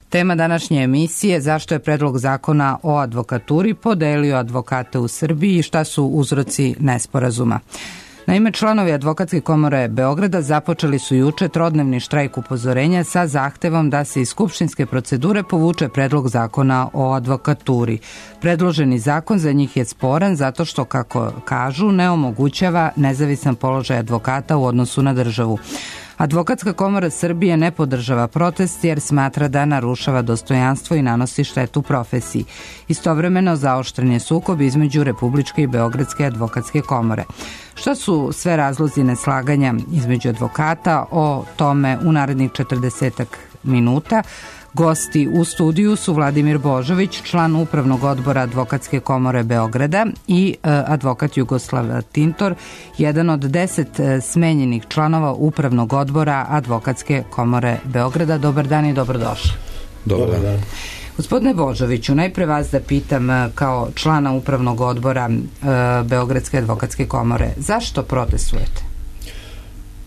Tema današnje emisije: zašto je predlog zakona o advokaturi podelio advokate u Srbiji i šta su uzroci nesporazuma. Naime, članovi Advokatske komore Beograda započeli su juče trodnevni štrajk upozorenja sa zahtevom da se iz skupštinske procedure povuče predlog zakona o advokaturi. Predloženi zakon za njih je sporan zato što, kako kažu, ne omogućava nezavisan položaj advokata u odnosu na državu. Advokatska komora Srbije ne podržava protest jer smatra da narušava dostojanstvo i nanosi štetu profesiji. Istovremeno zaoštren je sukob između Republičke i Beogradske advokatske komore. Šta su sve razlozi neslaganja između advokata? O tome u narednih 40 minuta. Gosti u studiju su Vladimir Božović, član Upravnog odbora Advokatske komore Beograda, i advokat Jugoslav Tintor, jedan od 10 smenjenih članova Upravnog odbora Advokatske komore Beograda. Dobar dan i dobrodošli. Dobar dan. Gospodine Božoviću, najpre vas da pitam kao člana Upravnog odbora Beogradske advokatske komore, zašto protestujete?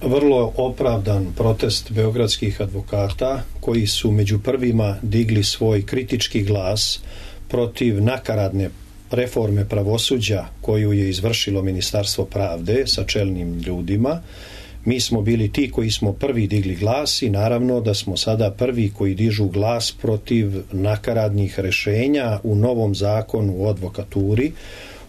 Vrlo opravdan protest beogradskih advokata koji su među prvima digli svoj kritički glas protiv nakaradne reforme pravosuđa koju je izvršilo Ministarstvo pravde sa čelnim ljudima. Mi smo bili ti koji smo prvi digli glas i naravno da smo sada prvi koji dižu glas protiv nakaradnih rešenja u novom zakonu o advokaturi,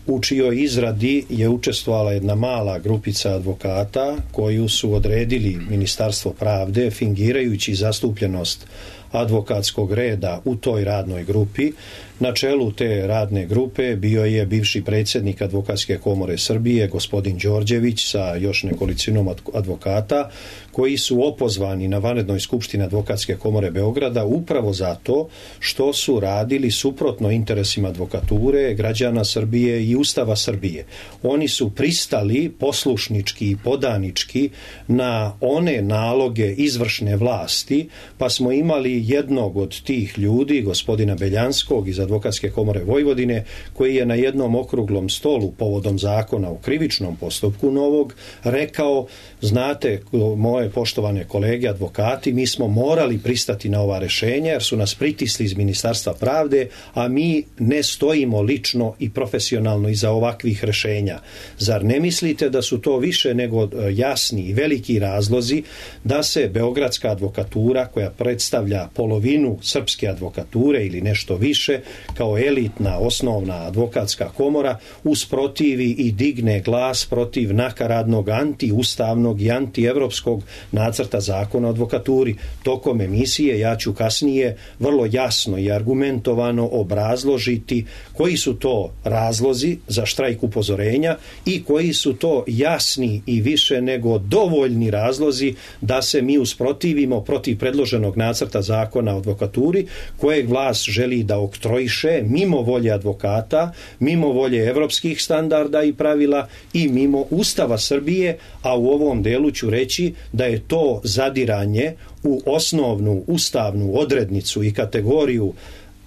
u čijoj izradi je učestvovala jedna mala grupica advokata koju su odredili Ministarstvo pravde fingirajući zastupljenost advokatskog reda u toj radnoj grupi. Na čelu te radne grupe bio je bivši predsjednik Advokatske komore Srbije, gospodin Đorđević, sa još nekolicinom advokata, koji su opozvani na vanrednoj skupštini Advokatske komore Beograda upravo zato što su radili suprotno interesima advokature, građana Srbije i Ustava Srbije. Oni su pristali poslušnički i podanički na one naloge izvršne vlasti, pa smo imali jednog od tih ljudi, gospodina Beljanskog iz Advokatske komore Vojvodine, koji je na jednom okruglom stolu povodom zakona o krivičnom postupku novog rekao: znate, moje poštovane kolege advokati, mi smo morali pristati na ova rešenja jer su nas pritisli iz Ministarstva pravde, a mi ne stojimo lično i profesionalno iza ovakvih rešenja. Zar ne mislite da su to više nego jasni i veliki razlozi da se beogradska advokatura, koja predstavlja polovinu srpske advokature ili nešto više, kao elitna osnovna advokatska komora, usprotivi i digne glas protiv nakaradnog antiustavnog i antievropskog nacrta zakona o advokaturi? Tokom emisije ja ću kasnije vrlo jasno i argumentovano obrazložiti koji su to razlozi za štrajk upozorenja i koji su to jasni i više nego dovoljni razlozi da se mi usprotivimo protiv predloženog nacrta zakona o advokaturi, kojeg vlast želi da oktroiše mimo volje advokata, mimo volje evropskih standarda i pravila i mimo Ustava Srbije, a u ovom delu ću reći da je to zadiranje u osnovnu ustavnu odrednicu i kategoriju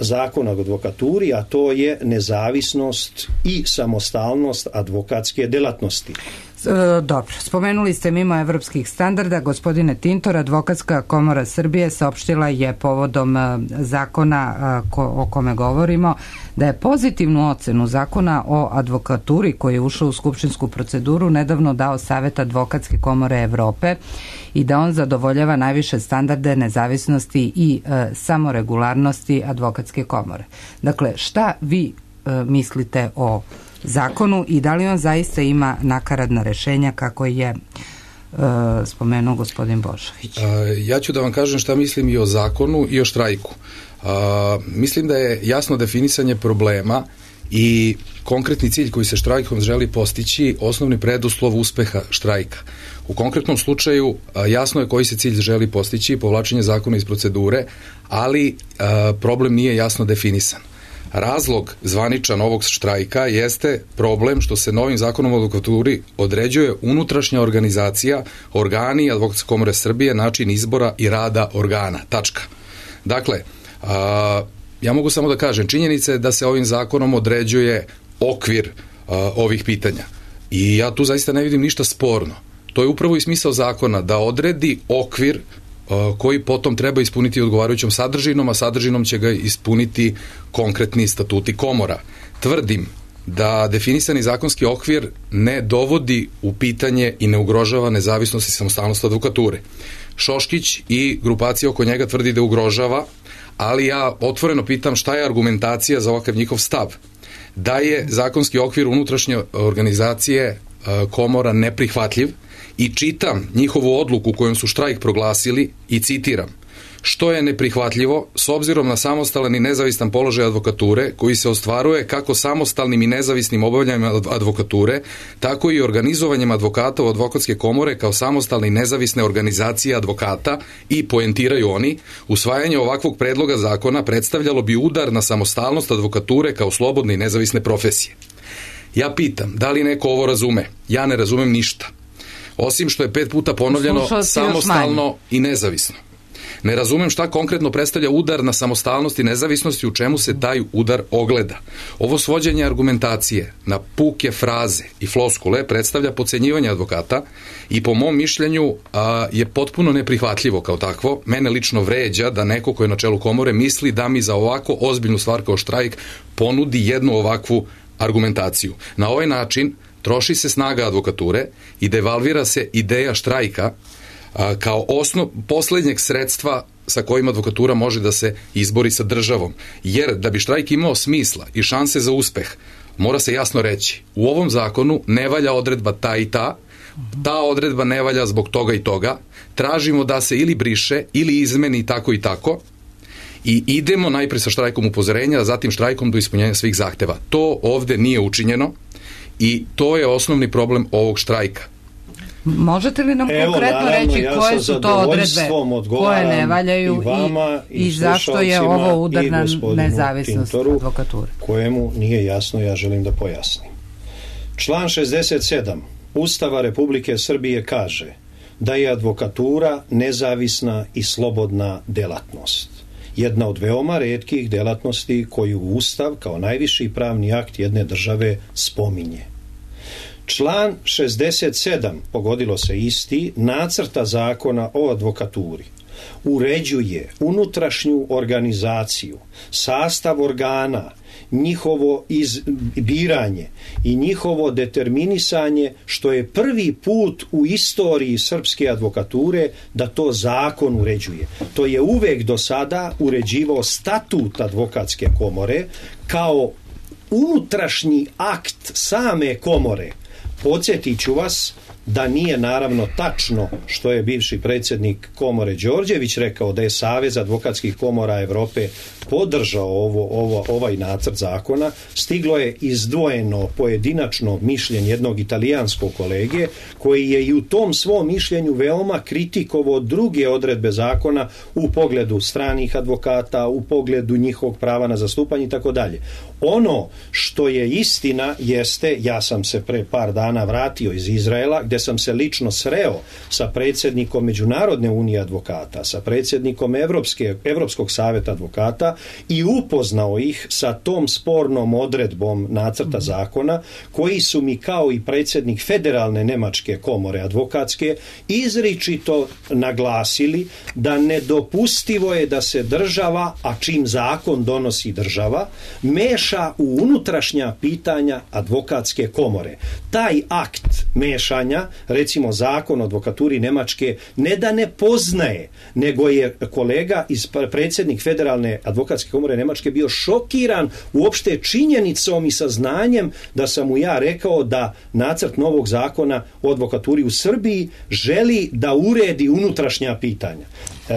zakona o advokaturi, a to je nezavisnost i samostalnost advokatske delatnosti. Dobro, spomenuli ste mimo evropskih standarda. Gospodine Tintor, Advokatska komora Srbije saopštila je povodom zakona o kome govorimo da je pozitivnu ocenu zakona o advokaturi koji je ušao u skupštinsku proceduru nedavno dao Savet Advokatske komore Evrope i da on zadovoljava najviše standarde nezavisnosti i samoregularnosti Advokatske komore. Dakle, šta vi mislite o zakonu i da li on zaista ima nakaradna rešenja kako je spomenuo gospodin Božović? Ja ću da vam kažem šta mislim i o zakonu i o štrajku. Mislim da je jasno definisanje problema i konkretni cilj koji se štrajkom želi postići osnovni preduslov uspeha štrajka. U konkretnom slučaju jasno je koji se cilj želi postići, povlačenje zakona iz procedure, ali problem nije jasno definisan. Razlog zvaničan ovog štrajka jeste problem što se novim zakonom o advokaturi određuje unutrašnja organizacija, organi Advokatske komore Srbije, način izbora i rada organa. Tačka. Dakle, ja mogu samo da kažem, činjenica je da se ovim zakonom određuje okvir ovih pitanja. I ja tu zaista ne vidim ništa sporno. To je upravo i smisao zakona, da odredi okvir koji potom treba ispuniti odgovarajućom sadržinom, a sadržinom će ga ispuniti konkretni statuti komora. Tvrdim da definisani zakonski okvir ne dovodi u pitanje i ne ugrožava nezavisnost i samostalnost advokature. Šoškić i grupacija oko njega tvrdi da ugrožava, ali ja otvoreno pitam šta je argumentacija za ovakav njihov stav. Da je zakonski okvir unutrašnje organizacije komora neprihvatljiv i čitam njihovu odluku kojom su štrajk proglasili i citiram: što je neprihvatljivo s obzirom na samostalan i nezavistan položaj advokature koji se ostvaruje kako samostalnim i nezavisnim obavljanjem advokature, tako i organizovanjem advokata u advokatske komore kao samostalne i nezavisne organizacije advokata, i poentiraju oni, usvajanje ovakvog predloga zakona predstavljalo bi udar na samostalnost advokature kao slobodne i nezavisne profesije. Ja pitam, da li neko ovo razume? Ja ne razumem ništa. Osim što je 5 puta ponovljeno samostalno i nezavisno. Ne razumem šta konkretno predstavlja udar na samostalnost i nezavisnost i u čemu se taj udar ogleda. Ovo svođenje argumentacije na puke fraze i floskule predstavlja podcenjivanje advokata i po mom mišljenju je potpuno neprihvatljivo kao takvo. Mene lično vređa da neko ko je na čelu komore misli da mi za ovako ozbiljnu stvar kao štrajk ponudi jednu ovakvu argumentaciju. Na ovaj način troši se snaga advokature i devalvira se ideja štrajka kao poslednjeg sredstva sa kojim advokatura može da se izbori sa državom. Jer da bi štrajk imao smisla i šanse za uspeh, mora se jasno reći: u ovom zakonu ne valja odredba ta i ta, ta odredba ne valja zbog toga i toga, tražimo da se ili briše ili izmeni tako i tako, i idemo najpre sa štrajkom upozorenja, a zatim štrajkom do ispunjenja svih zahteva. To ovde nije učinjeno i to je osnovni problem ovog štrajka. Možete li nam konkretno reći koje su to odredbe koje ne valjaju i zašto je ovo udar na nezavisnost advokature? Kojemu nije jasno, ja želim da pojasnim. Član 67 Ustava Republike Srbije kaže da je advokatura nezavisna i slobodna delatnost. Jedna od veoma retkih delatnosti koju Ustav kao najviši pravni akt jedne države spominje. Član 67, pogodilo se isti, nacrta zakona o advokaturi uređuje unutrašnju organizaciju, sastav organa, njihovo biranje i njihovo determinisanje, što je prvi put u istoriji srpske advokature da to zakon uređuje. To je uvek do sada uređivao statut advokatske komore kao unutrašnji akt same komore. Podsjetit ću vas da nije naravno tačno što je bivši predsjednik komore Đorđević rekao, da je Savez advokatskih komora Evrope podržao ovaj nacrt zakona. Stiglo je izdvojeno pojedinačno mišljenje jednog italijanskog kolege koji je i u tom svom mišljenju veoma kritikovao druge odredbe zakona u pogledu stranih advokata, u pogledu njihovog prava na zastupanje i tako dalje. Ono što je istina jeste, ja sam se pre par dana vratio iz Izraela, gde sam se lično sreo sa predsjednikom Međunarodne unije advokata, sa predsjednikom Evropskog saveta advokata i upoznao ih sa tom spornom odredbom nacrta zakona, koji su mi kao i predsjednik Federalne nemačke komore advokatske izričito naglasili da nedopustivo je da se država, a čim zakon donosi država, meša u unutrašnja pitanja advokatske komore. Taj akt mešanja, recimo zakon o advokaturi Nemačke, ne da ne poznaje, nego je kolega predsjednik Federalne advokatske komore Nemačke bio šokiran uopšte činjenicom i saznanjem da sam mu ja rekao da nacrt novog zakona o advokaturi u Srbiji želi da uredi unutrašnja pitanja.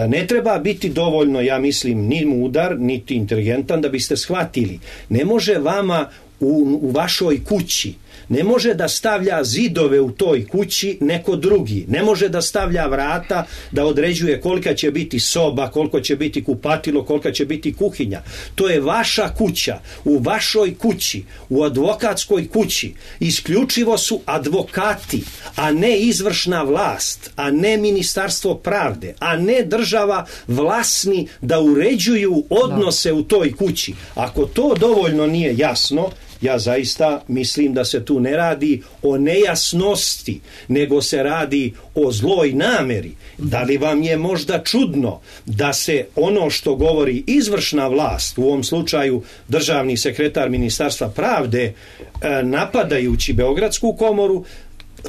Ne treba biti dovoljno, ja mislim, ni mudar, niti inteligentan da biste shvatili. Ne može vama u vašoj kući, ne može da stavlja zidove u toj kući neko drugi. Ne može da stavlja vrata, da određuje kolika će biti soba, koliko će biti kupatilo, kolika će biti kuhinja. To je vaša kuća. U vašoj kući, u advokatskoj kući, isključivo su advokati, a ne izvršna vlast, a ne ministarstvo pravde, a ne država vlasni da uređuju odnose u toj kući. Ako to dovoljno nije jasno, Ja zaista mislim da se tu ne radi o nejasnosti, nego se radi o zloj nameri. Da li vam je možda čudno da se ono što govori izvršna vlast, u ovom slučaju državni sekretar Ministarstva pravde, napadajući Beogradsku komoru,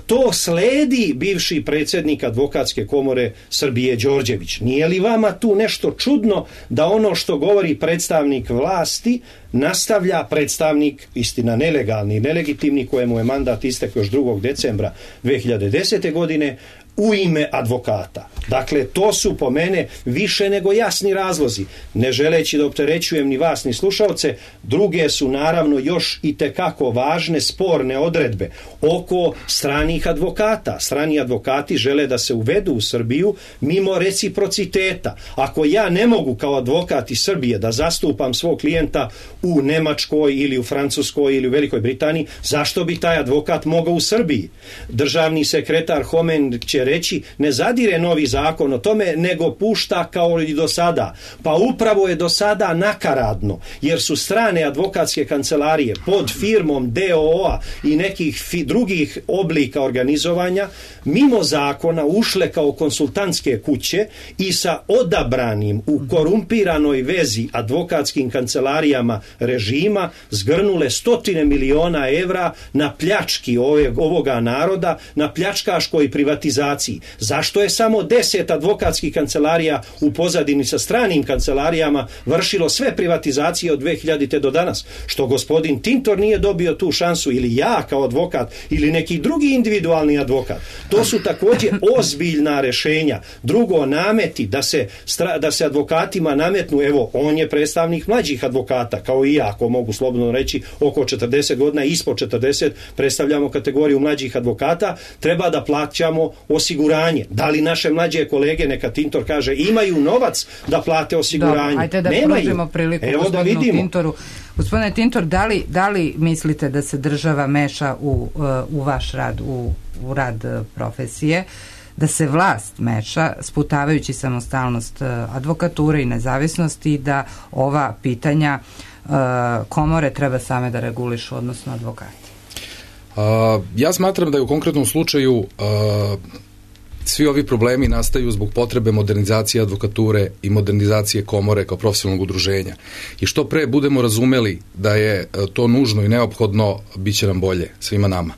to sledi bivši predsjednik Advokatske komore Srbije Đorđević. Nije li vama tu nešto čudno da ono što govori predstavnik vlasti nastavlja predstavnik, istina nelegalni i nelegitimni, kojemu je mandat istekao još 2. decembra 2010. godine, u ime advokata. Dakle, to su po mene više nego jasni razlozi. Ne želeći da opterećujem ni vas ni slušalce, druge su naravno još i tekako važne sporne odredbe oko stranih advokata. Strani advokati žele da se uvedu u Srbiju mimo reciprociteta. Ako ja ne mogu kao advokat iz Srbije da zastupam svog klijenta u Nemačkoj ili u Francuskoj ili u Velikoj Britaniji, zašto bi taj advokat mogao u Srbiji? Državni sekretar Homen će reći, ne zadire novi zakon o tome, nego pušta kao i do sada. Pa upravo je do sada nakaradno, jer su strane advokatske kancelarije pod firmom DOO-a i nekih drugih oblika organizovanja mimo zakona ušle kao konsultantske kuće i sa odabranim u korumpiranoj vezi advokatskim kancelarijama režima zgrnule 100 miliona evra na pljački ovoga naroda, na pljačkaškoj privatizaciji. Zašto je samo 10 advokatskih kancelarija u pozadini sa stranim kancelarijama vršilo sve privatizacije od 2000. do danas? Što gospodin Tintor nije dobio tu šansu, ili ja kao advokat, ili neki drugi individualni advokat? To su također ozbiljna rešenja. Drugo, nameti da se advokatima nametnu, evo, on je predstavnik mlađih advokata, kao i ja, ako mogu slobodno reći, oko 40 godina, ispod 40, predstavljamo kategoriju mlađih advokata, treba da plaćamo osiguranje. Da li naše mlađe kolege, neka Tintor kaže, imaju novac da plate osiguranje? Ajde da pružimo priliku gospodinu Tintoru. Gospodine Tintor, da li mislite da se država meša u vaš rad, u rad profesije, da se vlast meša sputavajući samostalnost advokature i nezavisnosti, i da ova pitanja komore treba same da regulišu, odnosno advokati? Ja smatram da je u konkretnom slučaju svi ovi problemi nastaju zbog potrebe modernizacije advokature i modernizacije komore kao profesionalnog udruženja. I što pre budemo razumeli da je to nužno i neophodno, bit će nam bolje svima nama.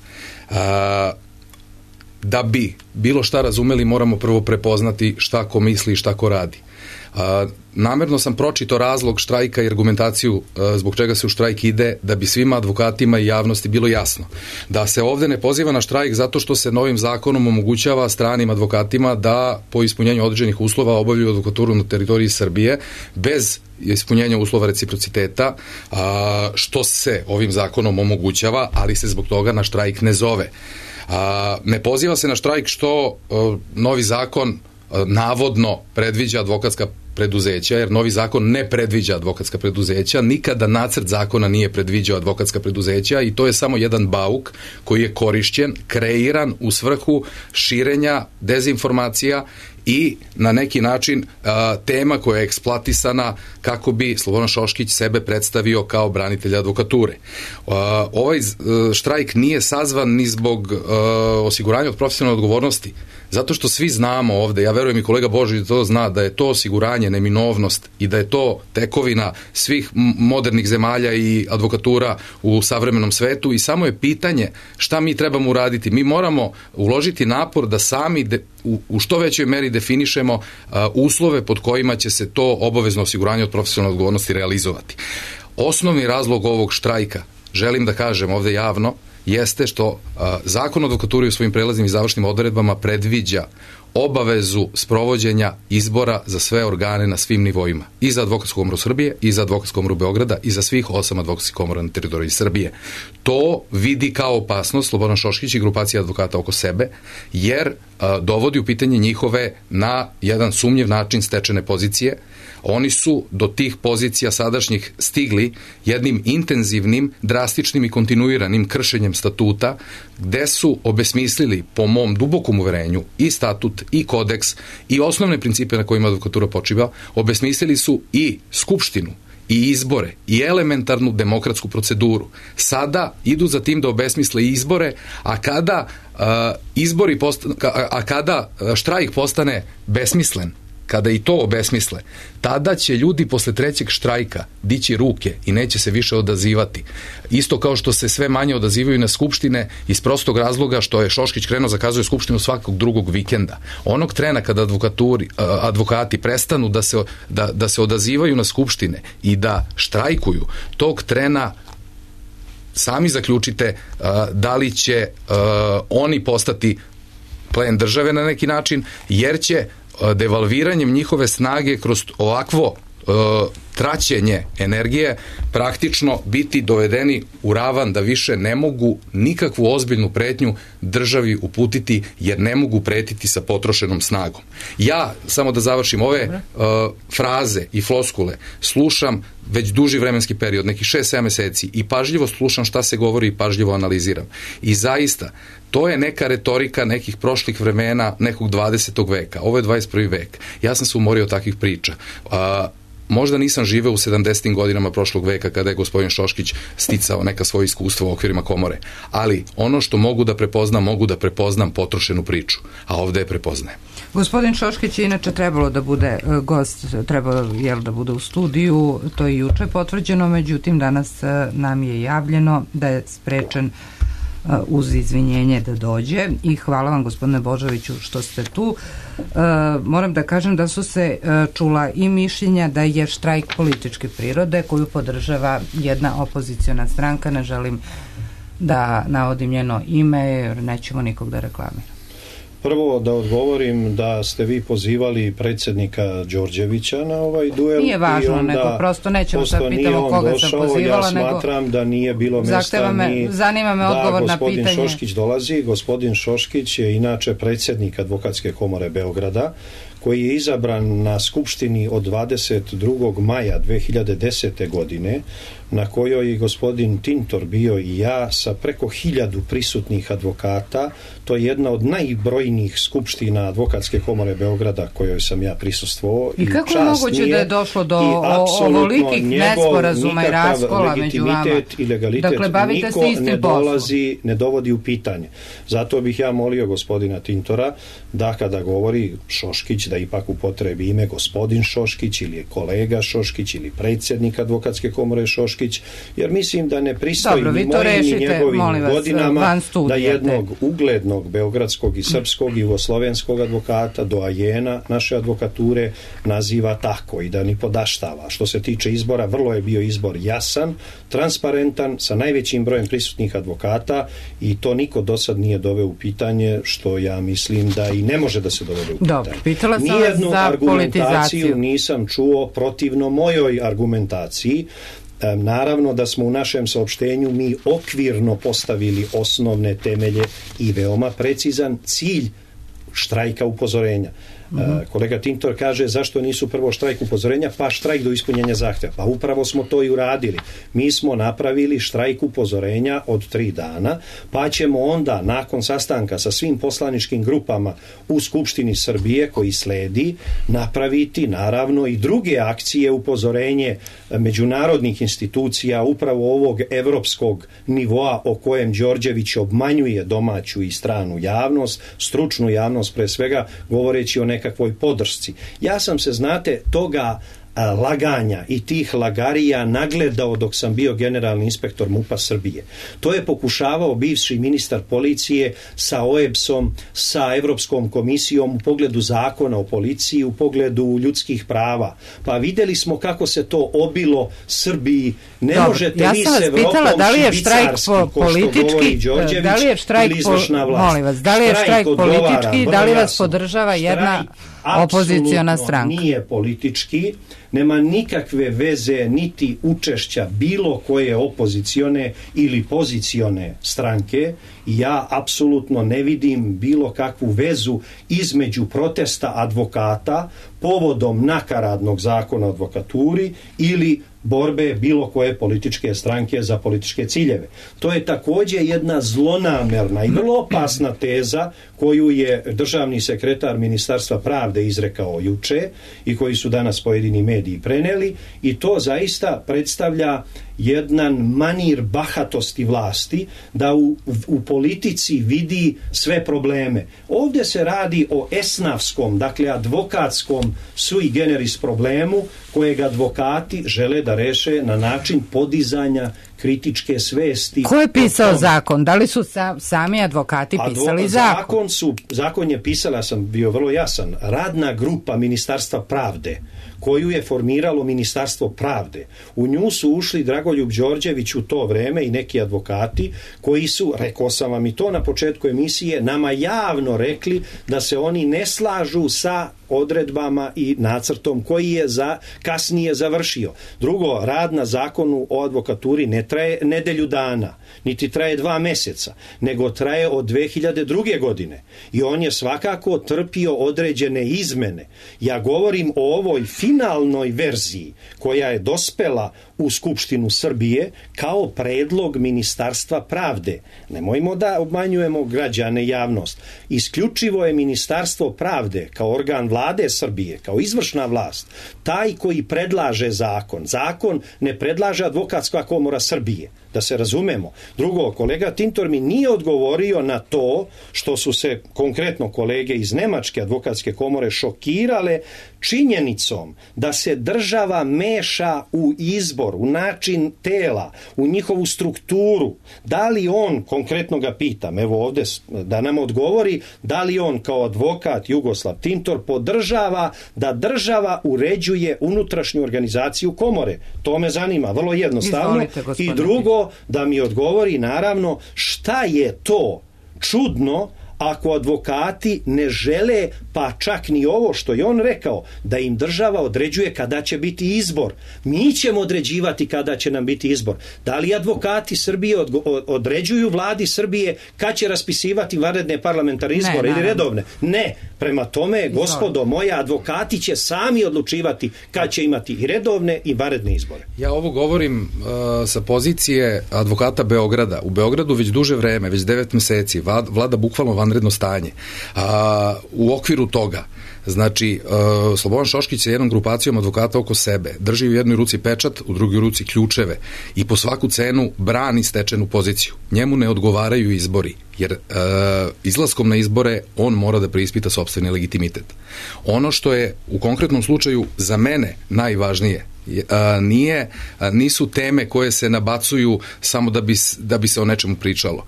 Da bi bilo šta razumeli, moramo prvo prepoznati šta ko misli i šta ko radi. Namerno sam pročitao razlog štrajka i argumentaciju zbog čega se u štrajk ide, da bi svima advokatima i javnosti bilo jasno da se ovde ne poziva na štrajk zato što se novim zakonom omogućava stranim advokatima da po ispunjenju određenih uslova obavljaju advokaturu na teritoriji Srbije bez ispunjenja uslova reciprociteta, što se ovim zakonom omogućava, ali se zbog toga na štrajk ne zove. Ne poziva se na štrajk što novi zakon navodno predviđa advokatska preduzeća, jer novi zakon ne predviđa advokatska preduzeća, nikada nacrt zakona nije predviđao advokatska preduzeća i to je samo jedan bauk koji je korišćen, kreiran u svrhu širenja dezinformacija i na neki način tema koja je eksploatisana kako bi Slobodan Šoškić sebe predstavio kao branitelja advokature. Ovaj štrajk nije sazvan ni zbog osiguranja od profesionalne odgovornosti, zato što svi znamo ovde, ja verujem i kolega Božić to zna, da je to osiguranje neminovnost i da je to tekovina svih modernih zemalja i advokatura u savremenom svetu i samo je pitanje šta mi trebamo uraditi. Mi moramo uložiti napor da sami u što većoj meri definišemo uslove pod kojima će se to obavezno osiguranje od profesionalne odgovornosti realizovati. Osnovni razlog ovog štrajka, želim da kažem ovde javno, jeste što Zakon o advokaturi u svojim prelaznim i završnim odredbama predviđa obavezu sprovođenja izbora za sve organe na svim nivoima. I za Advokatsku komoru Srbije, i za Advokatsku komoru Beograda, i za svih 8 advokatskih komora na teritoriji Srbije. To vidi kao opasnost Slobodan Šoškić i grupacija advokata oko sebe, jer dovodi u pitanje njihove na jedan sumnjiv način stečene pozicije. Oni su do tih pozicija sadašnjih stigli jednim intenzivnim, drastičnim i kontinuiranim kršenjem statuta, gde su obesmislili, po mom dubokom uverenju, i statut, i kodeks, i osnovne principe na kojima advokatura počiva, obesmislili su i Skupštinu, i izbore i elementarnu demokratsku proceduru. Sada idu za tim da obesmisle izbore, a kada kada štrajk postane besmislen, kada i to obesmisle, tada će ljudi posle trećeg štrajka dići ruke i neće se više odazivati. Isto kao što se sve manje odazivaju na skupštine iz prostog razloga što je Šoškić krenuo zakazuje skupštinu svakog drugog vikenda. Onog trena kada advokati prestanu da se odazivaju na skupštine i da štrajkuju, tog trena sami zaključite da li će oni postati plen države na neki način, jer će devalviranjem njihove snage kroz ovakvo traćenje energije praktično biti dovedeni u ravan da više ne mogu nikakvu ozbiljnu pretnju državi uputiti, jer ne mogu pretiti sa potrošenom snagom. Ja, samo da završim, ove fraze i floskule slušam već duži vremenski period, nekih 6-7 meseci, i pažljivo slušam šta se govori i pažljivo analiziram. I zaista, to je neka retorika nekih prošlih vremena, nekog 20. veka. Ovo je 21. vek. Ja sam se umorio od takvih priča. Možda nisam živeo u 70. godinama prošlog veka kada je gospodin Šoškić sticao neka svoje iskustva u okvirima komore. Ali ono što mogu da prepoznam potrošenu priču, a ovde je prepoznajem. Gospodin Šoškić je inače trebalo da bude gost, trebalo da bude u studiju, to je juče potvrđeno, međutim danas nam je javljeno da je sprečen uz izvinjenje da dođe, i hvala vam, gospodine Božoviću, što ste tu. Moram da kažem da su se čula i mišljenja da je štrajk političke prirode koju podržava jedna opoziciona stranka, ne želim da navodim njeno ime jer nećemo nikog da reklamiram. Prvo da odgovorim da ste vi pozivali predsjednika Đorđevića na ovaj duel. Nije važno, nego prosto nećemo sad pitamo koga sam pozivala. Ja smatram da nije bilo mjesta zanima me odgovor na pitanje. Gospodin Šoškić dolazi. Gospodin Šoškić je inače predsjednik Advokatske komore Beograda, koji je izabran na skupštini od 22. maja 2010. godine, na kojoj je gospodin Tintor bio i ja sa preko 1000 prisutnih advokata. To je jedna od najbrojnijih skupština Advokatske komore Beograda kojoj sam ja prisustvovao. I kako je moguće da je došlo do ovolikih nesporazuma i raskola među vama? I legalitet niko ne dovodi u pitanje. Zato bih ja molio gospodina Tintora da kada govori Šoškić da ipak upotrebi ime gospodin Šoškić ili kolega Šoškić ili predsjednik Advokatske komore Šoškić, jer mislim da ne pristoji ni mojim ni njegovim godinama da jednog uglednog beogradskog i srpskog i jugoslovenskog advokata, doajena naše advokature, naziva tako i da ni podaštava. Što se tiče izbora, vrlo je bio izbor jasan, transparentan, sa najvećim brojem prisutnih advokata, i to niko do sad nije doveo u pitanje, što ja mislim da i ne može da se dovede u pitanje. Dobro, pitala sam nijednu za argumentaciju nisam čuo protivno mojoj argumentaciji. Naravno da smo u našem saopštenju mi okvirno postavili osnovne temelje i veoma precizan cilj štrajka upozorenja. Kolega Tintor kaže zašto nisu prvo štrajk upozorenja pa štrajk do ispunjenja zahtjeva. Pa upravo smo to i uradili. Mi smo napravili štrajk upozorenja od 3 dana, pa ćemo onda nakon sastanka sa svim poslaničkim grupama u Skupštini Srbije koji sledi napraviti naravno i druge akcije upozorenje međunarodnih institucija upravo ovog evropskog nivoa o kojem Đorđević obmanjuje domaću i stranu javnost, stručnu javnost pre svega, govoreći o nekakvoj podršci. Ja sam se, znate, toga laganja i tih lagarija nagledao dok sam bio generalni inspektor MUP-a Srbije. To je pokušavao bivši ministar policije sa OEBS-om, sa Evropskom komisijom u pogledu zakona o policiji, u pogledu ljudskih prava. Pa vidjeli smo kako se to obilo Srbiji. Ne možete vi s Evropom švicarski, ko što govori Đorđević, ili izvršna vlast. Molim vas, da li je štrajk politički, da li vas podržava jedna opoziciona stranka? Nije politički, nema nikakve veze niti učešća bilo koje opozicione ili pozicione stranke, i ja apsolutno ne vidim bilo kakvu vezu između protesta advokata povodom nakaradnog zakona o advokaturi ili borbe bilo koje političke stranke za političke ciljeve. To je također jedna zlonamerna i vrlo opasna teza koju je državni sekretar Ministarstva pravde izrekao juče i koji su danas pojedini mediji mediji preneli, i to zaista predstavlja jedan manir bahatosti vlasti da u politici vidi sve probleme. Ovdje se radi o esnafskom, dakle advokatskom sui generis problemu kojeg advokati žele da reše na način podizanja kritičke svesti. Ko je pisao zakon? Da li su sami advokati pisali zakon? Zakon je pisala, ja sam bio vrlo jasan, radna grupa Ministarstva pravde, koju je formiralo Ministarstvo pravde. U nju su ušli Dragoljub Đorđević u to vreme i neki advokati koji su, rekao sam vam i to na početku emisije, nama javno rekli da se oni ne slažu sa odredbama i nacrtom koji je kasnije završio. Drugo, rad na zakonu o advokaturi ne traje nedelju dana, niti traje 2 meseca, nego traje od 2002. godine. I on je svakako trpio određene izmene. Ja govorim o ovoj finalnoj verziji koja je dospela u Skupštinu Srbije kao predlog Ministarstva pravde. Nemojmo da obmanjujemo građane, javnost. Isključivo je Ministarstvo pravde kao organ vlade Srbije, kao izvršna vlast, taj koji predlaže zakon. Zakon ne predlaže Advokatska komora Srbije, da se razumemo. Drugo, kolega Tintor mi nije odgovorio na to što su se konkretno kolege iz Nemačke advokatske komore šokirale činjenicom da se država meša u izbor, u način tela, u njihovu strukturu. Da li on, konkretno ga pitam, evo ovdje da nam odgovori, da li on kao advokat Jugoslav Tintor podržava da država uređuje unutrašnju organizaciju komore? To me zanima, vrlo jednostavno. I drugo, da mi odgovori naravno šta je to čudno ako advokati ne žele, pa čak ni ovo što je on rekao, da im država određuje kada će biti izbor. Mi ćemo određivati kada će nam biti izbor. Da li advokati Srbije određuju vladi Srbije kad će raspisivati vanredne parlamentarne izbore ili redovne? Ne. Prema tome, gospodo moja, advokati će sami odlučivati kad će imati i redovne i vanredne izbore. Ja ovo govorim sa pozicije advokata Beograda. U Beogradu već duže vreme, već 9 meseci, vlada bukvalno vanredno stanje. U okviru toga, znači, Slobodan Šoškić sa jednom grupacijom advokata oko sebe drži u jednoj ruci pečat, u drugoj ruci ključeve i po svaku cenu brani stečenu poziciju. Njemu ne odgovaraju izbori, jer izlaskom na izbore on mora da preispita sopstveni legitimitet. Ono što je u konkretnom slučaju za mene najvažnije nisu teme koje se nabacuju samo da bi se o nečemu pričalo.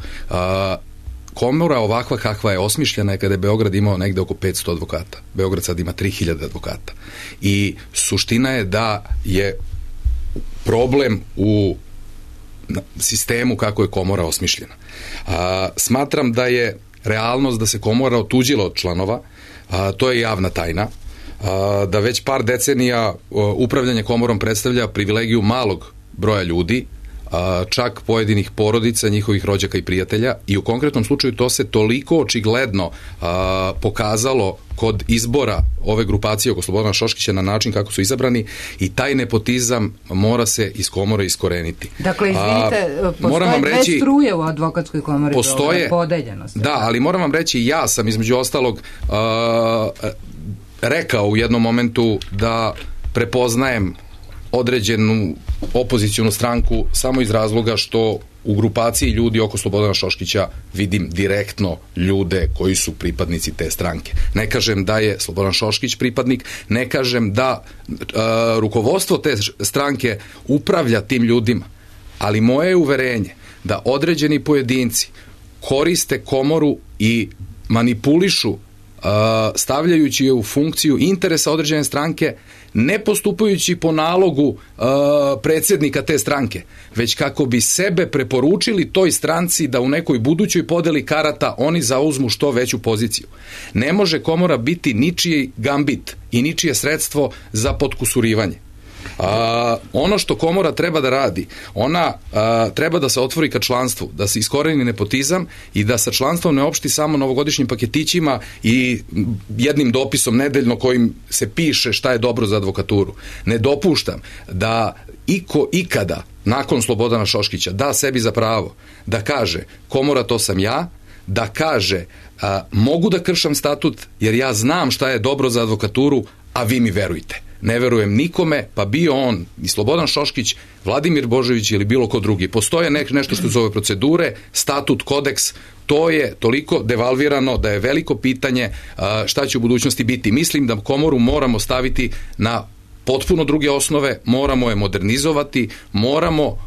Komora ovakva kakva je osmišljena je kada je Beograd imao negde oko 500 advokata. Beograd sad ima 3000 advokata. I suština je da je problem u sistemu kako je komora osmišljena. Smatram da je realnost da se komora otuđila od članova, to je javna tajna, da već par decenija upravljanje komorom predstavlja privilegiju malog broja ljudi, čak pojedinih porodica, njihovih rođaka i prijatelja, i u konkretnom slučaju to se toliko očigledno pokazalo kod izbora ove grupacije oko Slobodana Šoškića na način kako su izabrani, i taj nepotizam mora se iz komore iskoreniti. Dakle, izvinite, postoje dve struje u advokatskoj komori, podeljenost. Da, ali moram vam reći, ja sam između ostalog rekao u jednom momentu da prepoznajem određenu opozicijonu stranku samo iz razloga što u grupaciji ljudi oko Slobodana Šoškića vidim direktno ljude koji su pripadnici te stranke. Ne kažem da je Slobodan Šoškić pripadnik, ne kažem da rukovodstvo te stranke upravlja tim ljudima, ali moje je uverenje da određeni pojedinci koriste komoru i manipulišu stavljajući je u funkciju interesa određene stranke, ne postupajući po nalogu predsjednika te stranke, već kako bi sebe preporučili toj stranci da u nekoj budućoj podeli karata oni zauzmu što veću poziciju. Ne može komora biti ničiji gambit i ničije sredstvo za potkusurivanje. Ono što komora treba da radi, ona treba da se otvori ka članstvu, da se iskoreni nepotizam i da sa članstvom ne opšti samo novogodišnjim paketićima i jednim dopisom nedeljno kojim se piše šta je dobro za advokaturu. Ne dopuštam da iko ikada nakon Slobodana Šoškića da sebi za pravo da kaže komora to sam ja, da kaže mogu da kršam statut jer ja znam šta je dobro za advokaturu, a vi mi verujte. ne verujem nikome, pa bio on i Slobodan Šoškić, Vladimir Božović ili bilo ko drugi. Postoje nešto što zove procedure, statut, kodeks, to je toliko devalvirano da je veliko pitanje šta će u budućnosti biti. Mislim da komoru moramo staviti na potpuno druge osnove, moramo je modernizovati, moramo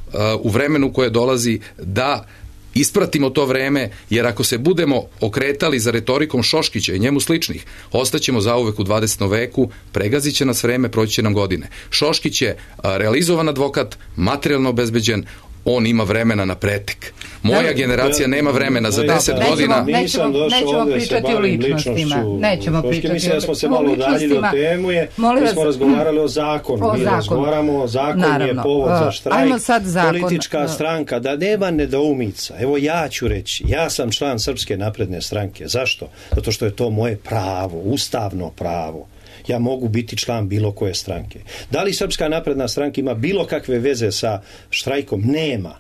u vremenu koje dolazi da ispratimo to vreme, jer ako se budemo okretali za retorikom Šoškića i njemu sličnih, ostaćemo zauvek u 20. veku, pregazit će nas vreme, proći će nam godine. Šoškić je realizovan advokat, materijalno obezbeđen, on ima vremena na pretek. Moja generacija nema vremena za 10 godina. Nećemo pričati o ličnostima. Nećemo pričati. Mislim da smo se malo udaljili od temu, mi smo razgovarali o zakonu. Mi razgovaramo o zakonu, je povod za štrajk. Politička stranka, da nema nedoumica. Evo ja ću reći, ja sam član Srpske napredne stranke. Zašto? Zato što je to moje pravo, ustavno pravo. Ja mogu biti član bilo koje stranke. Da li Srpska napredna stranka ima bilo kakve veze sa štrajkom? Nema.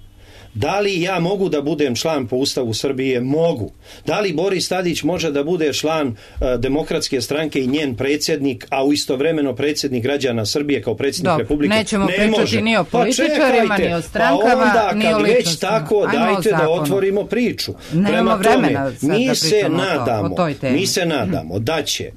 Da li ja mogu da budem član po Ustavu Srbije? Mogu. Da li Boris Tadić može da bude član Demokratske stranke i njen predsjednik, a u istovremeno predsjednik građana Srbije kao predsjednik Republike? Nećemo pričati ni o političarima, ni o strankama, ni o ličnostima. Već tako, dajte da otvorimo priču. Prema tome, mi se nadamo da će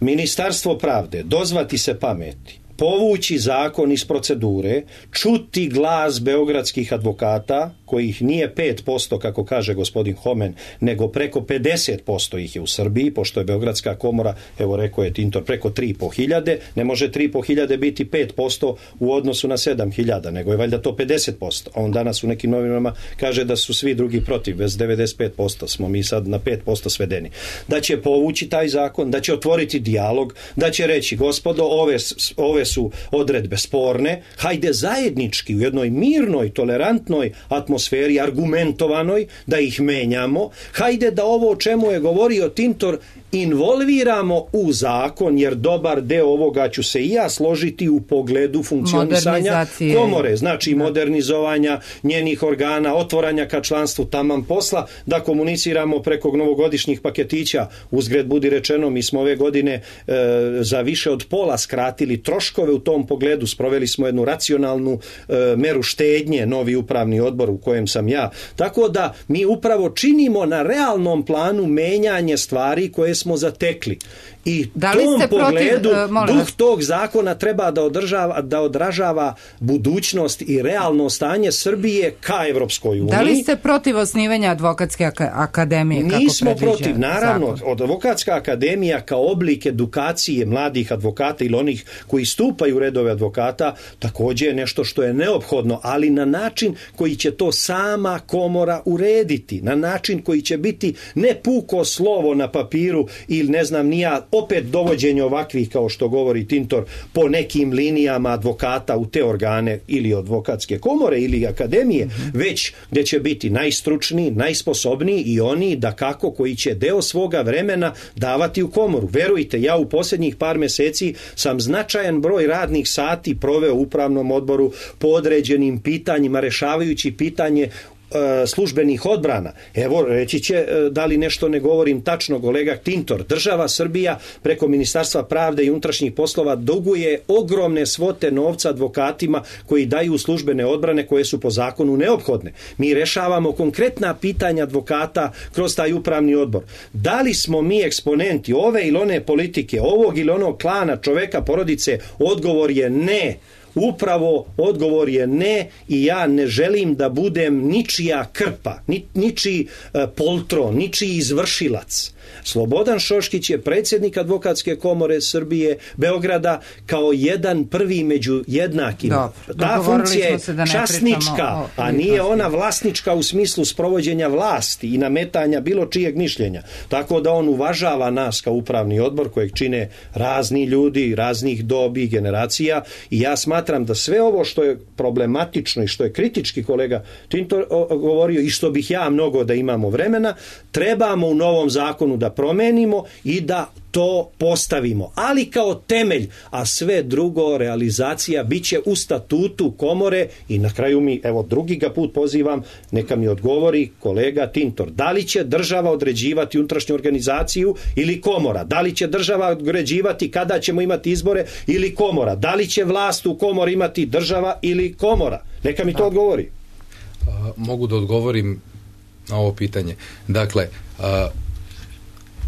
Ministarstvo pravde dozvati se pameti, povući zakon iz procedure, čuti glas beogradskih advokata, kojih nije 5%, kako kaže gospodin Homen, nego preko 50% ih je u Srbiji, pošto je Beogradska komora, evo rekao je Tintor, preko 3.500, ne može 3.500 biti 5% u odnosu na 7.000, nego je valjda to 50%. A on danas u nekim novinama kaže da su svi drugi protiv, bez 95% smo mi sad na 5% svedeni. Da će povući taj zakon, da će otvoriti dijalog, da će reći, gospodo, ove su odredbe sporne, hajde zajednički u jednoj mirnoj, tolerantnoj atmosferi, argumentovanoj, da ih menjamo, hajde da ovo o čemu je govorio Tintor involviramo u zakon, jer dobar deo ovoga ću se i ja složiti u pogledu funkcionisanja komore, znači modernizovanja njenih organa, otvaranja ka članstvu, taman posla, da komuniciramo preko novogodišnjih paketića. Uzgred budi rečeno, mi smo ove godine za više od pola skratili troškove u tom pogledu, sproveli smo jednu racionalnu meru štednje, novi upravni odbor u kojem sam ja. Tako da mi upravo činimo na realnom planu menjanje stvari koje smo zatekli. I tom pogledu duh tog zakona treba da odražava budućnost i realno stanje Srbije ka Evropskoj uniji. Da li ste protiv osnivanja Advokatske akademije? Nismo protiv, naravno. Advokatska akademija kao oblik edukacije mladih advokata ili onih koji stupaju u redove advokata također je nešto što je neophodno, ali na način koji će to sama komora urediti, na način koji će biti ne puko slovo na papiru ili ne znam ni ja, opet dovođenje ovakvih, kao što govori Tintor, po nekim linijama advokata u te organe ili advokatske komore ili akademije, već gdje će biti najstručniji, najsposobniji i oni dakako koji će deo svoga vremena davati u komoru. Verujte, ja u posljednjih par mjeseci sam značajan broj radnih sati proveo u upravnom odboru po određenim pitanjima, rešavajući pitanje službenih odbrana. Evo, reći će da li nešto ne govorim tačno, kolega Tintor. Država Srbija preko Ministarstva pravde i unutrašnjih poslova duguje ogromne svote novca advokatima koji daju službene odbrane koje su po zakonu neophodne. Mi rešavamo konkretna pitanja advokata kroz taj upravni odbor. Da li smo mi eksponenti ove ili one politike, ovog ili onog klana, čoveka, porodice? Odgovor je ne. Upravo odgovor je ne i ja ne želim da budem ničija krpa, ničiji poltron, ničiji izvršilac. Slobodan Šoškić je predsjednik Advokatske komore Srbije, Beograda, kao jedan prvi među jednakima. Ta funkcija je časnička, a nije ona vlasnička u smislu sprovođenja vlasti i nametanja bilo čijeg mišljenja. Tako da on uvažava nas kao upravni odbor kojeg čine razni ljudi, raznih dobi, generacija, i ja smatram smatram da sve ovo što je problematično i što je kritički kolega Tintor govorio i što bih ja mnogo da imamo vremena, trebamo u novom zakonu da promenimo i da to postavimo, ali kao temelj, a sve drugo, realizacija, bit će u statutu komore. I na kraju mi, evo drugi ga put pozivam, neka mi odgovori kolega Tintor, da li će država određivati unutrašnju organizaciju ili komora, da li će država određivati kada ćemo imati izbore ili komora, da li će vlast u komori imati država ili komora, neka mi to odgovori. Mogu da odgovorim na ovo pitanje. Dakle,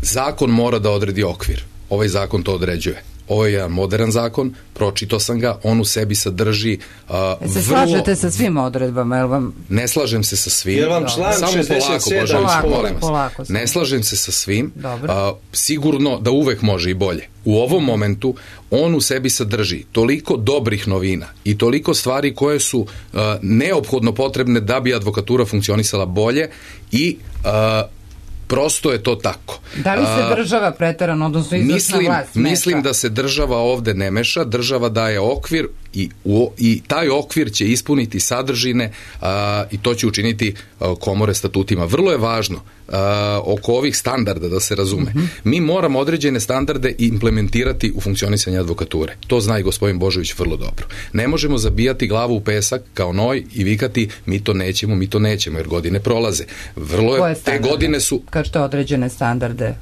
zakon mora da odredi okvir. Ovaj zakon to određuje. Ovo je jedan modern zakon, pročitao sam ga, on u sebi sadrži se slažete sa svim odredbama? Jel vam... Ne slažem se sa svim. Jel vam član 67? Polako. Ne slažem se sa svim. Sigurno da uvek može i bolje. U ovom momentu on u sebi sadrži toliko dobrih novina i toliko stvari koje su neophodno potrebne da bi advokatura funkcionisala bolje i prosto je to tako. Da li se država preterano, odnosno izvršna vlast meša? Mislim da se država ovde ne meša, država daje okvir i taj okvir će ispuniti sadržine i to će učiniti komore statutima. Vrlo je važno oko ovih standarda da se razume. Mi moramo određene standarde implementirati u funkcionisanje advokature. To zna i gospodin Božović vrlo dobro. Ne možemo zabijati glavu u pesak kao noj i vikati mi to nećemo, jer godine prolaze. Te godine su... Kad što određene standarde?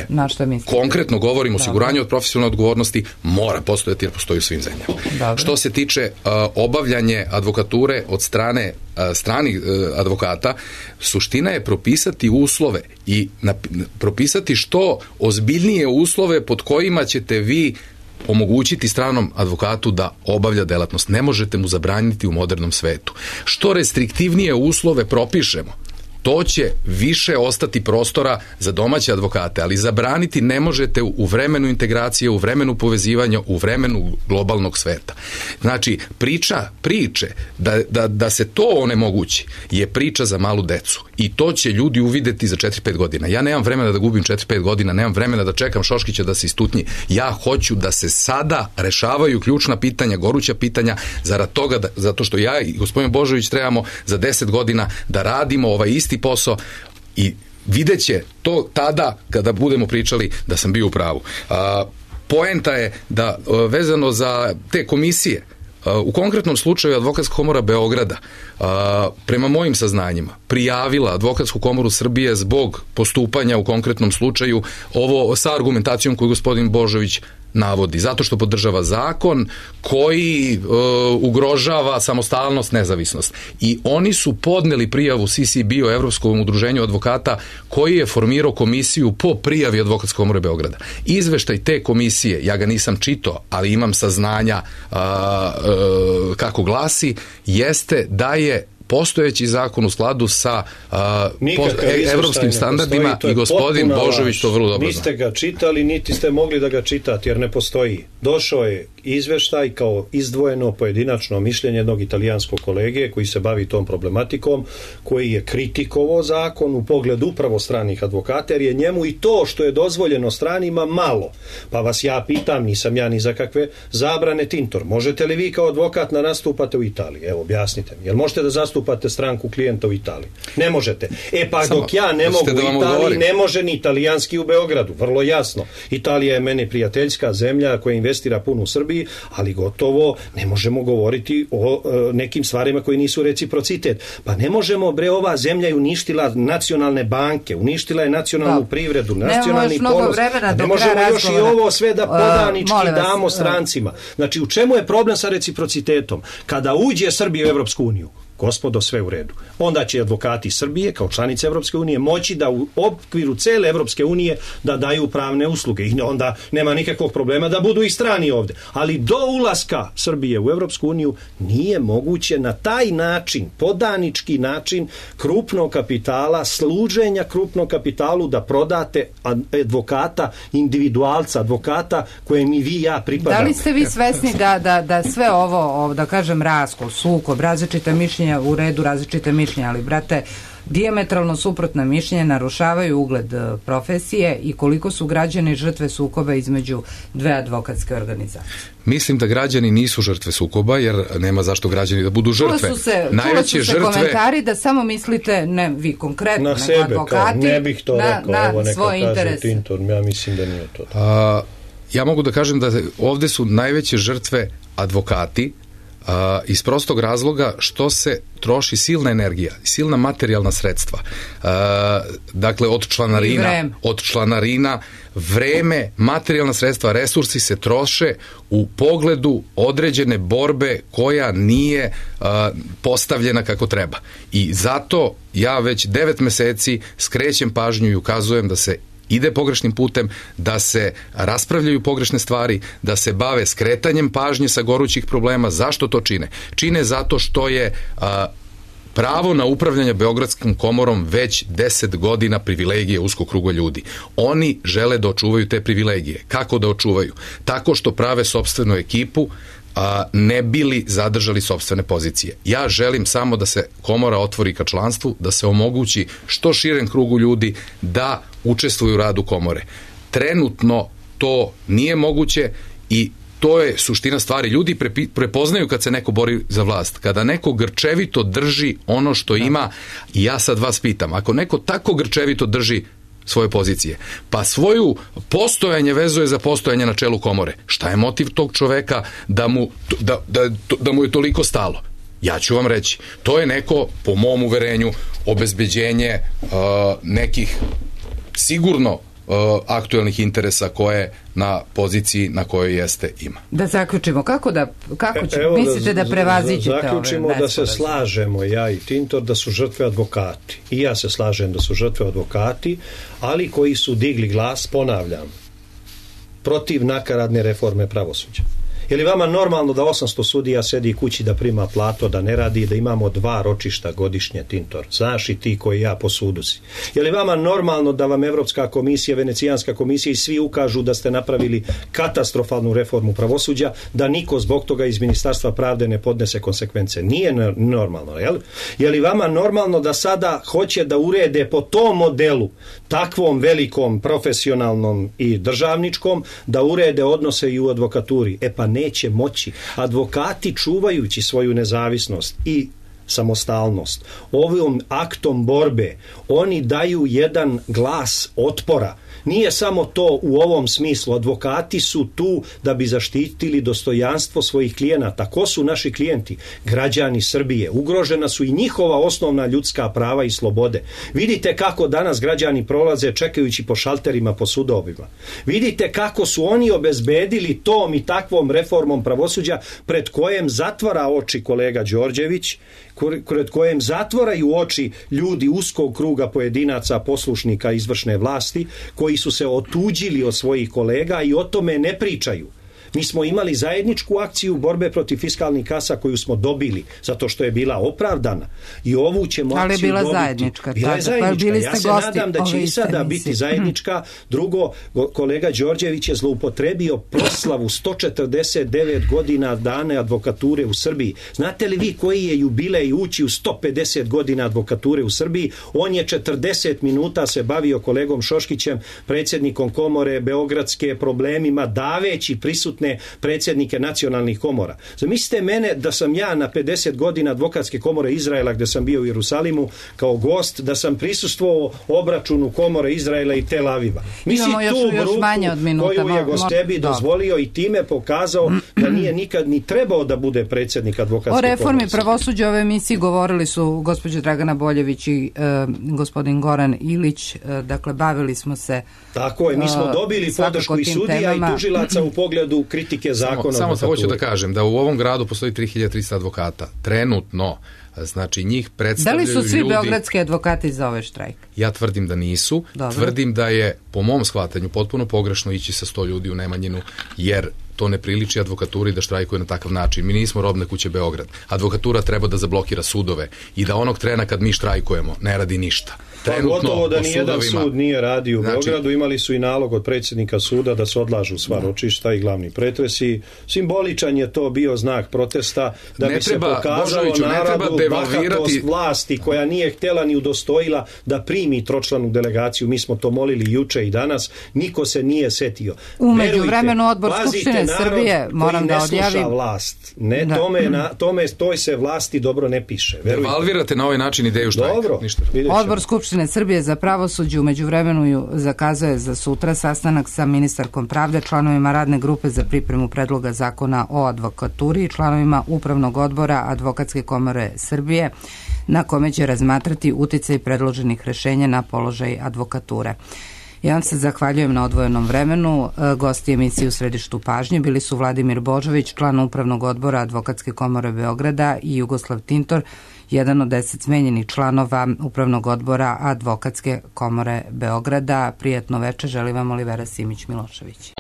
Na što mislite? Konkretno govorim o osiguranju od profesionalne odgovornosti, mora postojati jer postoji u svim zemljama. Dobre. Što se tiče obavljanje advokature od strane stranih advokata, suština je propisati uslove i propisati što ozbiljnije uslove pod kojima ćete vi omogućiti stranom advokatu da obavlja delatnost. Ne možete mu zabraniti u modernom svetu. Što restriktivnije uslove propišemo, to će više ostati prostora za domaće advokate, ali zabraniti ne možete u vremenu integracije, u vremenu povezivanja, u vremenu globalnog sveta. Znači, priče da se to onemogući je priča za malu decu i to će ljudi uvideti za 4-5 godina. Ja nemam vremena da gubim 4-5 godina, nemam vremena da čekam Šoškića da se istutnji. Ja hoću da se sada rešavaju ključna pitanja, goruća pitanja, zarad toga, zato što ja i gospodin Božović trebamo za 10 godina da radimo ovaj isti posao i vidjet će to tada kada budemo pričali da sam bio u pravu. Poenta je da vezano za te komisije, u konkretnom slučaju Advokatska komora Beograda, prema mojim saznanjima, prijavila Advokatsku komoru Srbije zbog postupanja u konkretnom slučaju, ovo sa argumentacijom koju gospodin Božović navodi, zato što podržava zakon koji ugrožava samostalnost, nezavisnost. I oni su podneli prijavu CCB-u, Evropskom udruženju advokata, koji je formirao komisiju po prijavi Advokatske komore Beograda. Izveštaj te komisije, ja ga nisam čitao, ali imam saznanja kako glasi, jeste da je postojeći zakon u skladu sa evropskim standardima i gospodin Božović to vrlo dobro zna. Niste ga čitali, niti ste mogli da ga čitate, jer ne postoji. Došao je izveštaj kao izdvojeno pojedinačno mišljenje jednog italijanskog kolege koji se bavi tom problematikom, koji je kritikovao zakon u pogledu upravo stranih advokata, jer je njemu i to što je dozvoljeno stranima malo. Pa vas ja pitam, nisam ja ni za kakve zabrane, Tintor, možete li vi kao advokat da nastupate u Italiji? Evo, objasnite mi. Jel možete da zastupate stranku klijenta u Italiji? Ne možete. Pa dok ja ne mogu u Italiji, ne može ni italijanski u Beogradu. Vrlo jasno. Italija je meni prijateljska zemlja koja investira puno u Srbiji, ali gotovo ne možemo govoriti o nekim stvarima koji nisu reciprocitet. Pa ne možemo, ova zemlja je uništila nacionalne banke, uništila je nacionalnu privredu, nacionalni ponos. Ne možemo još i ovo sve da podanički damo strancima. Znači, u čemu je problem sa reciprocitetom? Kada uđe Srbija u Evropsku uniju, gospodo, sve u redu. Onda će advokati Srbije, kao članice Evropske unije, moći da u okviru cele Evropske unije da daju pravne usluge. I onda nema nikakvog problema da budu i strani ovde. Ali do ulaska Srbije u Evropsku uniju nije moguće na taj način, podanički način krupnog kapitala, služenja krupnog kapitalu da prodate advokata, individualca, advokata kojem i vi i ja pripadamo. Da li ste vi svesni da sve ovo, da kažem, raskol, sukob, različita mišljenja, u redu različite mišljenja, ali brate, Dijametralno suprotna mišljenja narušavaju ugled profesije i koliko su građani žrtve sukoba između dve advokatske organizacije? Mislim da građani nisu žrtve sukoba, jer nema zašto građani da budu žrtve. Čula su se komentari da samo mislite, ne vi konkretno, na sebe, advokati, ne bih to rekao, evo neka svoj interes. Tintor, ja mislim da nije to. Ja mogu da kažem da ovde su najveće žrtve advokati, iz prostog razloga što se troši silna energija, silna materijalna sredstva. Dakle, od članarina, vreme, materijalna sredstva, resursi se troše u pogledu određene borbe koja nije postavljena kako treba. I zato ja već 9 meseci skrećem pažnju i ukazujem da se ide pogrešnim putem, da se raspravljaju pogrešne stvari, da se bave skretanjem pažnje sa gorućih problema. Zašto to čine? Čine zato što je pravo na upravljanje Beogradskom komorom već 10 godina privilegije uskog kruga ljudi. Oni žele da očuvaju te privilegije. Kako da očuvaju? Tako što prave sopstvenu ekipu, ne bili zadržali sopstvene pozicije. Ja želim samo da se komora otvori ka članstvu, da se omogući što širem krugu ljudi da učestvuju u radu komore. Trenutno to nije moguće i to je suština stvari. Ljudi prepoznaju kad se neko bori za vlast. Kada neko grčevito drži ono što ima, i ja sad vas pitam, ako neko tako grčevito drži svoje pozicije, pa svoju postojanje vezuje za postojanje na čelu komore. Šta je motiv tog čoveka da mu je toliko stalo? Ja ću vam reći, to je neko, po mom uverenju, obezbeđenje nekih sigurno aktuelnih interesa koje na poziciji na kojoj jeste ima. Da zaključimo, mislite da prevaziđete ove zaključimo da se slažemo, ja i Tintor, da su žrtve advokati. I ja se slažem da su žrtve advokati, ali koji su digli glas, ponavljam, protiv nakaradne reforme pravosuđa. Je li vama normalno da 800 sudija sedi kući da prima platu, da ne radi, da imamo 2 ročišta godišnje, Tintor? Znaš i ti koji ja po sudu si. Je li vama normalno da vam Evropska komisija, Venecijanska komisija i svi ukažu da ste napravili katastrofalnu reformu pravosuđa, da niko zbog toga iz Ministarstva pravde ne podnese konsekvence? Nije normalno, jel? Je li vama normalno da sada hoće da urede po tom modelu, takvom velikom, profesionalnom i državničkom, da urede odnose i u advokaturi? E pa neće moći. Advokati, čuvajući svoju nezavisnost i samostalnost, ovim aktom borbe, oni daju jedan glas otpora. Nije samo to u ovom smislu. Advokati su tu da bi zaštitili dostojanstvo svojih klijenata. Ko su naši klijenti? Građani Srbije. Ugrožena su i njihova osnovna ljudska prava i slobode. Vidite kako danas građani prolaze čekajući po šalterima, po sudovima. Vidite kako su oni obezbedili tom i takvom reformom pravosuđa pred kojem zatvara oči kolega Đorđević, pred kojem zatvaraju oči ljudi uskog kruga pojedinaca, poslušnika izvršne vlasti, koji su se otuđili od svojih kolega i o tome ne pričaju. Mi smo imali zajedničku akciju borbe protiv fiskalnih kasa koju smo dobili, zato što je bila opravdana. I ovu ćemo akciju dobiti. Zajednička. Bila je zajednička. Ja se nadam da će i sada biti zajednička. Drugo, kolega Đorđević je zloupotrebio proslavu 149 godina dane advokature u Srbiji. Znate li vi koji je jubilej ući u 150 godina advokature u Srbiji? On je 40 minuta se bavio kolegom Šoškićem, predsjednikom komore Beogradske, problemima, daveći prisutne predsjednike nacionalnih komora. Zamislite mene da sam ja na 50 godina advokatske komore Izraela, gde sam bio u Jerusalimu kao gost, da sam prisustvovao obračunu komore Izraela i Tel Aviva. Misli tu bruku koju je gostebi dozvolio i time pokazao da nije nikad ni trebao da bude predsjednik advokatske komore. O reformi pravosuđa ove emisiji govorili su gospođa Dragana Boljević i gospodin Goran Ilić. Dakle, bavili smo se tako je, mi smo dobili podršku i sudija i tužilaca u pogledu kritike zakona. Samo hoću da kažem da u ovom gradu postoji 3300 advokata. Trenutno, znači njih predstavljaju ljudi... Da li su svi beogradski advokati za ovaj štrajk? Ja tvrdim da nisu. Dobro. Tvrdim da je, po mom shvatanju, potpuno pogrešno ići sa 100 ljudi u Nemanjinu, jer to ne priliči advokaturi da štrajkuje na takav način. Mi nismo robne kuće Beograd. Advokatura treba da zablokira sudove i da onog trena kad mi štrajkujemo ne radi ništa. Gotovo da nijedan sud nije radio u Beogradu, imali su i nalog od predsjednika suda da se odlažu sva ročišta i glavni pretresi. Simboličan je to bio znak protesta da bi se pokazalo narodu bahatost vlasti koja nije htjela ni udostojila da primi tročlanu delegaciju. Mi smo to molili juče i danas, niko se nije setio. U međuvremenu Odbor Skupštine Srbije, moram da odjavim, ne sluša vlast. Ne, toj se vlasti dobro ne piše. Devalvirate na ovaj način ideju štrajka. Dobro, Odbor Skupštine Srbije za pravosuđe u međuvremenu zakazuje za sutra sastanak sa ministarkom pravde, članovima radne grupe za pripremu predloga zakona o advokaturi i članovima Upravnog odbora Advokatske komore Srbije, na kome će razmatrati uticaj predloženih rešenja na položaj advokature. Ja vam se zahvaljujem na odvojenom vremenu. Gosti emisije U središtu pažnje bili su Vladimir Božović, član Upravnog odbora Advokatske komore Beograda, i Jugoslav Tintor, jedan od 10 smenjenih članova Upravnog odbora Advokatske komore Beograda. Prijatno veče, želim vam Olivera Simić-Milošević.